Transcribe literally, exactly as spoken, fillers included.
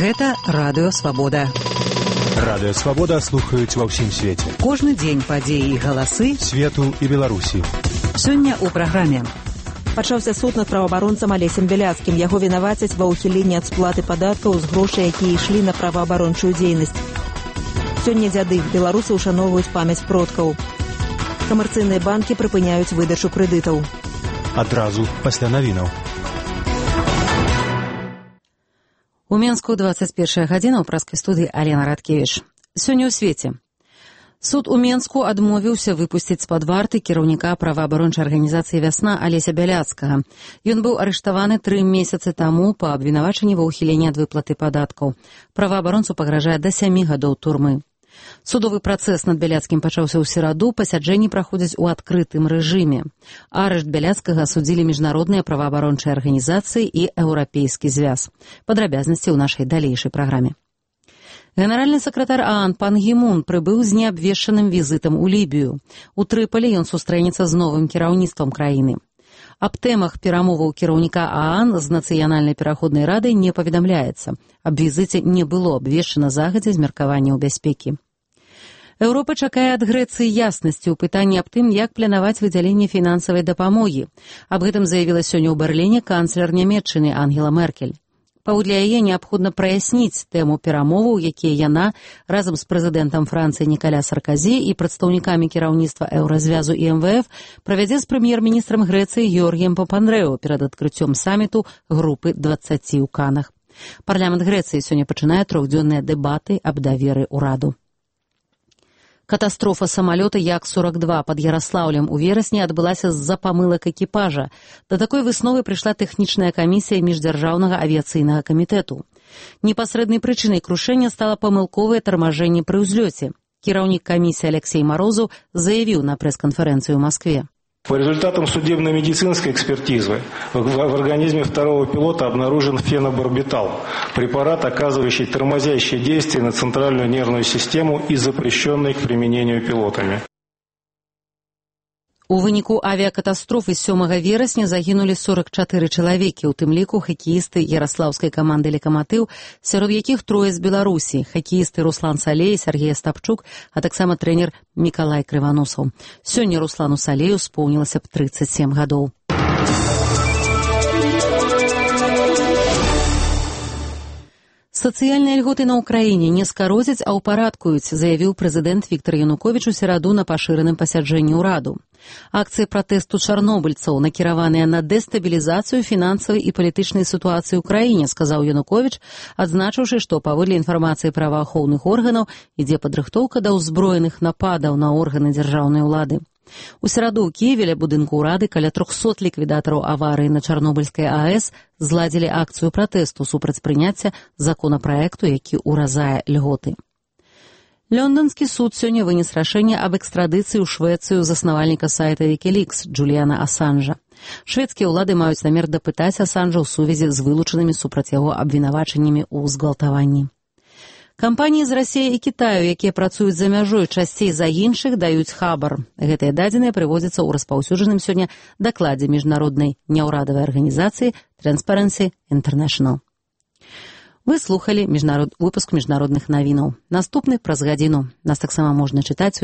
Гэта Радыё Свабода. Радыё Свабода слухаюць ва ўсім свеце. Кожны дзень падзеі і галасы свету і Беларусі. Сёння ў праграме. Пачаўся суд над праваабаронцам Алесем Бяляцкім. Яго вінавацяць ва ўхіленні ад сплаты падаткаў з грошай, якія ішлі на праваабарончую дзейнасць. Сёння дзяды. Беларусы ўшаноўваюць памяць продкаў. Камерцыйныя банкі прыпыняюць выдачу крэдытаў. Адразу пасля навінаў. У Менску двадцать першая гадзіна, ў праскай студыі Алена Радкевіч. Сёння ў свеце. Суд у Менску адмовіўся выпусціць з-пад варты кіраўніка праваабарончай арганізацыі «Вясна» Алеся Бяляцкага. Ён быў арыштаваны тры месяцы таму па абвінавачанні ва ўхіленні ад выплаты падаткаў. Праваабаронцу пагражае да сямі гадоў турмы. Судовы працэс над Бяляцкім пачаўся ў сераду, пасяджэнні праходзяць у адкрытым рэжыме. Арышт Бяляцкага судзілі міжнародныя праваабарончыя арганізацыі і Еўрапейскі звяз. Падрабязнасці ў нашай далейшай праграме. Генеральны сакратар ААН Пан Гі Мун прыбыў з неабвешчаным візітам у Лібію. У Трыполі ён сустрэнецца з новым кіраўніцтвам краіны. Аб тэмах перамоваў кіраўніка ААН з Нацыянальнай пераходнай радай не паведамляецца. Аб візіце не было абвешчана загадзя з меркаванняў бяспекі. Еўропа чакае ад Грэцыі яснасці ў пытанні аб тым, як планаваць выдзяленне фінансавай дапамогі. Аб гэтым заявіла сёння ў Берліне канцлер Нямецчыны Ангела Меркель. Паводле яе неабходна праясніць тэму перамоваў, якія яна разам з прэзідэнтам Францыі Нікаля Сарказі і прадстаўнікамі кіраўніцтва Еўразвязу і эм вэ эф правядзе з прэм'ер-міністрам Грэцыі Георгіем Папандрэу перад адкрыццём саміту групы дваццаці ў Канах. Парламент Грэцыі сёння пачынае трохдзённыя дэбаты аб даверы ўраду. Катастрофа самалёта Як сорок два пад Яраслаўлем у верасні адбылася з-за памылак экіпажа. Да такой высновы прыйшла тэхнічная камісія міждзяржаўнага авіяцыйнага камітэту. Непасрэднай прычынай крушэння стала памылковае тармажэнне пры ўзлёце. Кіраўнік камісіі Алексей Марозаў заявіў на прэс-канферэнцыі ў Маскве. По результатам судебно-медицинской экспертизы в организме второго пилота обнаружен фенобарбитал, препарат, оказывающий тормозящее действие на центральную нервную систему и запрещенный к применению пилотами. У выніку авіякатастрофы сёмага верасня загінулі сорок чатыры чалавекі, у тым ліку хакеісты яраслаўскай каманды «Лекаматыў», сярод якіх трое з Беларусі, хакеісты Руслан Салей, Сергей Стапчук, а таксама трэнер Мікалай Крываносаў. Сёння Руслану Салею споўнілася б трыццаць сем гадоў. Сацыяльныя льготы на ўкраіне не скародзяць, а ўпарадкуюць, заявіў прэзідэнт Віктар Януковіч у сераду на пашыраным пасяджэнні ўраду. Акцыі пратэсту чарнобыльцаў накіраваныя на дэстабілізацыю фінансавай і палітычнай сітуацыі ў краіне, сказаў Януковіч, адзначыўшы, што паводле інфармацыі праваахоўных органаў ідзе падрыхтоўка да ўзброеных нападаў на органы дзяржаўнай улады. У сераду ў Кіеве ля будынку ўрады каля трохсот ліквідатараў аварыі на Чарнобыльскай АЭС зладзілі акцыю пратэсту супраць прыняцця законапраекту, які ўразае льготы. Лондонскі суд сёння вынес рашэнне аб экстрадыцыі ў Швецыю заснавальніка сайта Wikileaks Джуліяна Асанжа. Шведскія ўлады маюць намер дапытаць Асанжа ў сувязі з вылучанымі супраць яго абвінавачаннямі ў згвалтаванні. Кампаніі з Расіі і Кітаю, якія працуюць за мяжой, часцей за іншых даюць хабар. Гэтыя дадзеныя прыводзяцца ў распаўсюджаным сёння дакладзе міжнароднай няўрадавай арганізацыі Transparency International. Вы слухалі міжнарод... выпуск міжнародных навінаў. Наступны праз гадзіну. Нас таксама можна чытаць